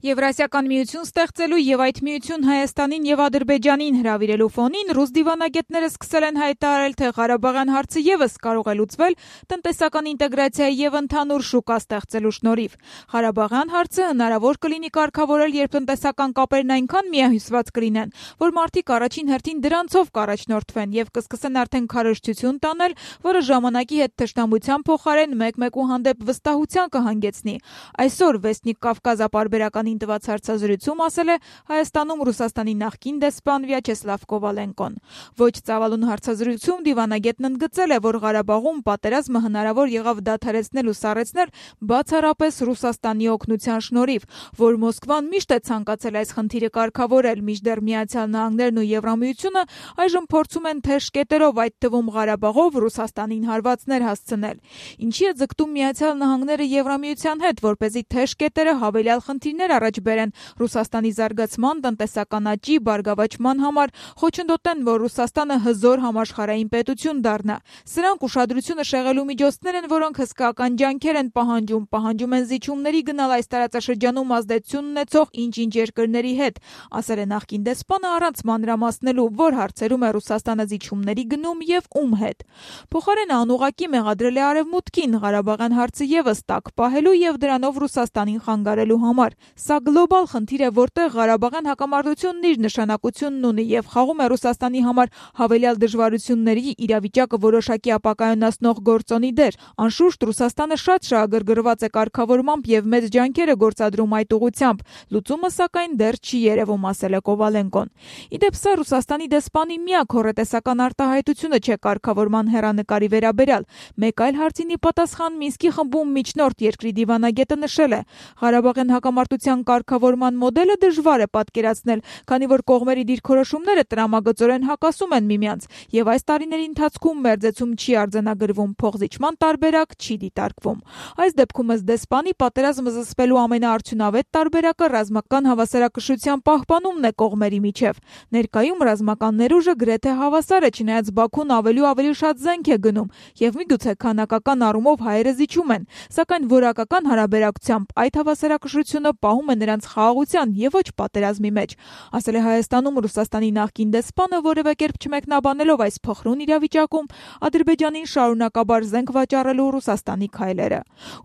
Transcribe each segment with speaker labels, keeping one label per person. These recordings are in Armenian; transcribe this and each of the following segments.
Speaker 1: Եվրասիական միություն ստեղծելու եւ այդ միություն Հայաստանին եւ Ադրբեջանին հրավիրելու ֆոնին ռուս դիվանագետները սկսել են հայտարարել, թե Ղարաբաղյան հարցը եւս կարող է լուծվել տնտեսական ինտեգրացիայի եւ ընդհանուր շուկա ստեղծելու շնորհիվ։ Ղարաբաղյան հարցը հնարավոր կլինի կարգավորել, երբ տնտեսական կապերն այնքան միահյուսված կլինեն, որ մարդիկ առաջին հերթին դրանցով կառաջնորդվեն եւ կսկսեն արդեն քարոզչություն տանել, որը ժամանակի հետ թշնամության փոխարեն մեկ-մեկու հանդեպ վստահության կհանգեցնի։ Այսօր Վեսնիկ Կավկազ ապարբերական տված հարցազրույցում ասել է Հայաստանում Ռուսաստանի նախկին դեսպան Վյաչեսլավ Կովալենկոն։ Ոչ ծավալուն հարցազրույցում դիվանագետն ընդգծել է, որ Ղարաբաղում պատերազմը հնարավոր եղավ դադարեցնել ու սառեցնել բացառապես Ռուսաստանի օգնության շնորհիվ, որ Մոսկվան միշտ է ցանկացել այս խնդիրը կարգավորել, մինչդեռ Միացյալ Նահանգներն ու Եվրամիությունը այժմ փորձում են թեժ կետերով, այդ թվում Ղարաբաղով Ռուսաստանին հարվածներ հասցնել։ Ինչի է ձգտում Միացյալ Նահանգները Եվրամիության հետ, որպեսզի թեժ կետերը հավելյալ խնդիրներ առաջ բերեն Ռուսաստանի զարգացման, տնտեսական աճի, բարգավաճման համար, խոչընդոտեն, որ Ռուսաստանը հզոր համաշխարհային պետություն դառնա։ Սրանք ուշադրությունը շեղելու միջոցներ են, որոնք հսկայական ջանքեր են պահանջում են զիջումների գնալ այս տարածաշրջանում ազդեցություն ունեցող ինչ-ինչ երկրների հետ, ասել է նախկին դեսպանը առանց մանրամասնելու, որ հարցերում է Ռուսաստանը զիջումների գնում եւ ում հետ։ Փոխարենը անուղղակի մեղադրել է Արևմուտքին Ղարաբաղյան հարցը եւս տակ պահելու եւ դրանով Ռուսաստանին խանգարելու համար։ Սա գլոբալ խնդիր է, որտեղ Ղարաբաղյան հակամարտությունն իր նշանակությունն ունի եւ խաղում է Ռուսաստանի համար հավելյալ դժվարությունների իրավիճակը որոշակի ապակայունացնող գործոնի դեր։ Անշուշտ Ռուսաստանը շատ շահագրգռված է կարգավորմամբ եւ մեծ ջանքեր է գործադրում այդ ուղղությամբ։ Լուծումը սակայն դեռ չի երևում, ասել է Կովալենկոն։ Իդեպ սա Ռուսաստանի դեսպանի միակ հոռետեսական արտահայտությունը չէ կարգավորման հեռանկարի վերաբերյալ։ Մեկ այլ հարցինի պատասխան Մինսկի խմբում միջնորդ երկրի դիվանագետը նշել է. Ղարաբաղյան հակամարտության կարգավորման մոդելը դժվար է պատկերացնել, քանի որ կողմերի դիրքորոշումները տրամագծորեն հակասում են միմյանց, եւ այս տարիների ընթացքում մերձեցում չի արձանագրվում, փոխզիջման տարբերակ չի դիտարկվում։ Այս դեպքում ըստ դեսպանի պատերազմը զսպելու ամենաարդյունավետ տարբերակը ռազմական հավասարակշռության պահպանումն է կողմերի միջև։ Ներկայում ռազմական ներուժը գրեթե հավասար է, չնայած Բաքուն ավելի ու ավելի շատ զենք է գնում, եւ միգուցե քանակական առումով հայերը զիջում են, սակայն որակական հարաբերակցությամբ այդ հավասարակշռությունը պահում է նրանց խաղաղության եւ ոչ պատերազմի մեջ, ասել է Հայաստանում Ռուսաստանի նախկին դեսպանը, որևէ կերպ չմեկնաբանելով այս փխրուն իրավիճակում Ադրբեջանին շարունակաբար զենք վաճառելու Ռուսաստանի քայլերը։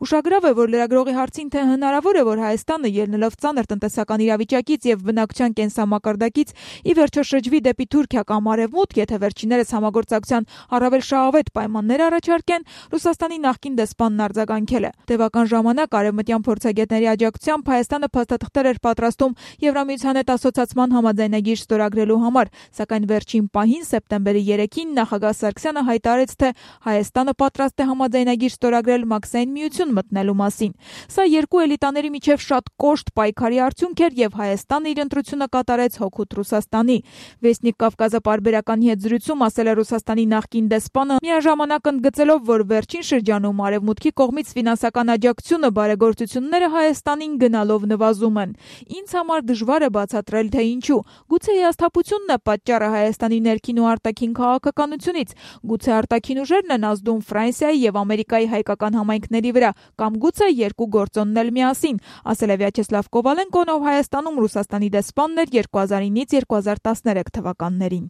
Speaker 1: Ուշագրավ է, որ լրագրողի հարցին, թե հնարավոր է, որ Հայաստանը ելնելով ծանր տնտեսական իրավիճակից եւ բնակչության կենսամակարդակից ի վերջո շրջվի դեպի Թուրքիա կամ Արևմուտք, եթե վերջիններս համագործակցության առավել շահավետ պայմաններ առաջարկեն, Ռուսաստանի նախկին դեսպանն արձագանքել է. Տևական ժամանակ արևմտյան փորձագետների աջակցությամբ Հայաստանը փաստաթղթեր էր պատրաստում Եվրամիության հետ ասոցիացման համաձայնագիր ստորագրելու համար, սակայն վերջին պահին սեպտեմբերի 3-ին նախագահ Սարգսյանը հայտարարեց, թե Հայաստանը պատրաստ է համաձայնագիր ստորագրել Մաքսային միություն մտնելու մասին։ Սա երկու էլիտաների միջև շատ կոշտ պայքարի արդյունք էր եւ Հայաստանը իր ընտրությունը կատարեց հօգուտ Ռուսաստանի։ Վեսնիկ Կավկազը պարբերականի հետ զրույցում ասել է Ռուսաստանի նախկին դեսպանը, միաժամանակ ընդգծելով, որ վերջին շրջանում Արևմուտքի կողմից ֆինանսական աջակցությունը բարեգործությունները Հայաստանին գնալով նվազում են։ Ինձ համար դժվար է բացատրել, թե ինչու։ Գուցե հիասթափությունն է պատճառը Հայաստանի ներքին ու արտաքին քաղաքականությունից, գուցե արտաքին ուժերն են ազդում Ֆրանսիայի եւ Ամերիկայի հայկական համայնքների վրա, կամ գուցե երկու գործոնն էլ միասին, ասել է Վյաչեսլավ Կովալենկոն, ով Հայաստանում Ռուսաստանի դեսպանն էր 2009-ից 2013 թվականներին։